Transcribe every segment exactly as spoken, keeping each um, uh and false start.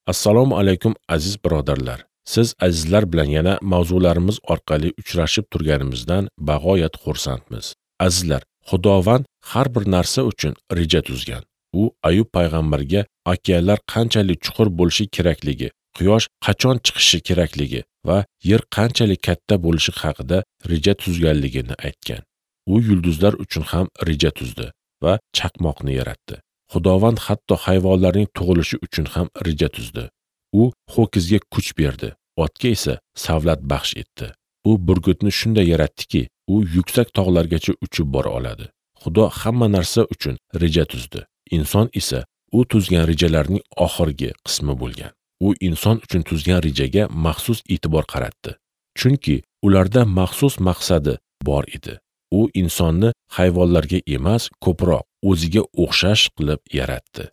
Assalomu alaykum aziz birodarlar. Siz azizlar bilan yana mavzularimiz orqali uchrashib turganimizdan bag'oyat xursandmiz. Azizlar, Xudovand har bir narsa uchun reja tuzgan. U Ayub payg'ambarga okeanlar qanchalik chuqur bo'lishi kerakligi, quyosh qachon chiqishi kerakligi va yer qanchalik katta bo'lishi haqida reja tuzganligini aytgan. U yulduzlar uchun ham reja tuzdi va chaqmoqni yaratdi. Xudovand hatto hayvonlarning tug'ilishi uchun ham reja tuzdi. U ho'kizga kuch berdi, otga esa savlat baxsh etdi. U burgutni shunday yaratdiki, u yuksak tog'largacha uchib bora oladi. Xudo hamma narsa uchun reja tuzdi. Inson esa u tuzgan rejalarning oxirgi qismi bo'lgan. U inson uchun tuzgan rejaga maxsus e'tibor qaratdi. Chunki ularda maxsus maqsadi bor edi. U insonni hayvonlarga emas, ko'proq o'ziga o'xshash qilib yaratdi.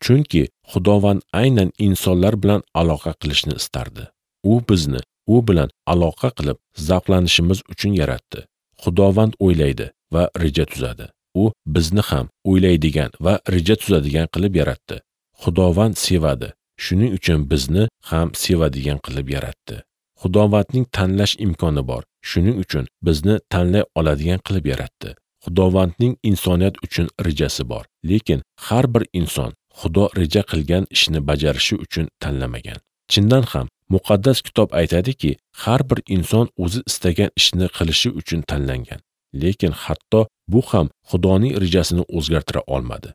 Chunki Xudovand aynan insonlar bilan aloqa qilishni istardi. U bizni u bilan aloqa qilib zavqlanishimiz uchun yaratdi. Xudovand o'ylaydi va reja tuzadi. U bizni ham o'ylaydigan va reja tuzadigan qilib yaratdi. Xudovand sevadi. Shuning uchun bizni ham sevadigan qilib yaratdi. Xudovandning tanlash imkoni bor. Shuning uchun bizni tanlay oladigan qilib yaratdi. Xudovandning insoniyat uchun rejasi bor. Lekin har bir inson Xudo reja qilgan ishni bajarishi uchun tanlamagan. Chindan ham muqaddas kitob aytadiki, har bir inson o'zi istagan ishni qilishi uchun tanlangan. Lekin hatto bu ham Xudoning rejasini o'zgartira olmadi.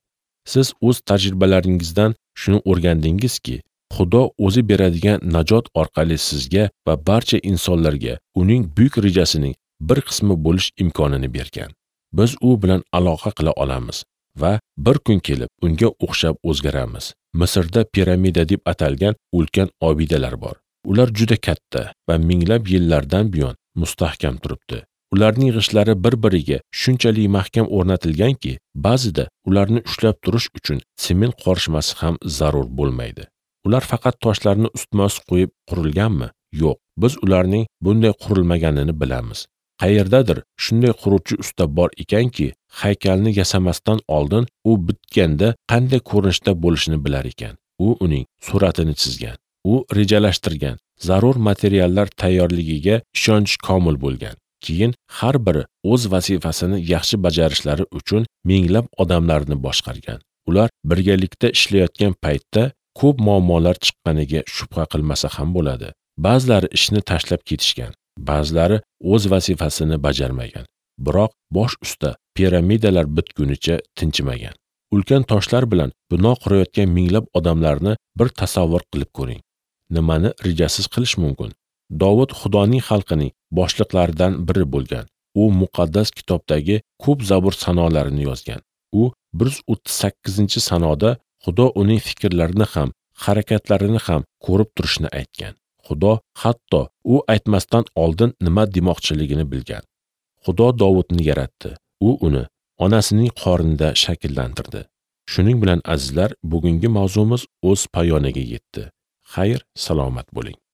Siz o'z tajribalaringizdan shuni o'rgandingizki, Xudo o'zi beradigan najot orqali sizga va barcha insonlarga uning buyuk rejasining bir qismi bo'lish imkonini bergan. Biz u bilan aloqa qila olamiz va bir kun kelib unga o'xshab o'zgaramiz. Misrda piramida deb atalgan ulkan obidalar bor. Ular juda katta va minglab yillardan buyon mustahkam turibdi. Ularning g'ishlari bir-biriga shunchalik mahkam o'rnatilganki, ba'zida ularni ushlab turish uchun sement qorishmasi ham zarur bo'lmaydi. Ular faqat toshlarni ustma-ust qo'yib qurilganmi? Yo'q, biz ularning bunday qurilmaganini bilamiz. Qayerdadir shunday quruvchi usta bor ekanki, haykalni yasamasdan oldin u bitganda qanday ko'rinishda bo'lishini bilar ekan. U uning suratini chizgan, u rejalashtirgan, zarur materiallar tayyorligiga ishonch komil bo'lgan. Keyin har biri o'z vazifasini yaxshi bajarishlari uchun minglab odamlarni boshqargan. Ular birgalikda ishlayotgan paytda ko'p muammolar chiqqaniga shubha qilmasa ham bo'ladi. Ba'zilari ishni tashlab ketishgan, ba'zilari o'z vazifasini bajarmagan. Biroq bosh usta piramidalar bitgunicha tinchimagan. Ulkan toshlar bilan bino qurayotgan minglab odamlarni bir tasavvur qilib ko'ring. Nimani rejasiz qilish mumkin? Dovud Xudoning xalqining boshliqlaridan biri bo'lgan. U muqaddas kitobdagi ko'p Zabur sanolarini yozgan. U bir yuz o'ttiz sakkizinchi sanoda Xudo uning fikrlarini ham, harakatlarini ham ko'rib turishini aytgan. Xudo hatto u aytmasdan oldin nima demoqchiligini bilgan. Xudo Dovudni yaratdi. U uni onasining qornida shakllantirdi. Shuning bilan azizlar, bugungi mavzumiz o'z poyoniga yetdi. Xayr, salomat bo'ling.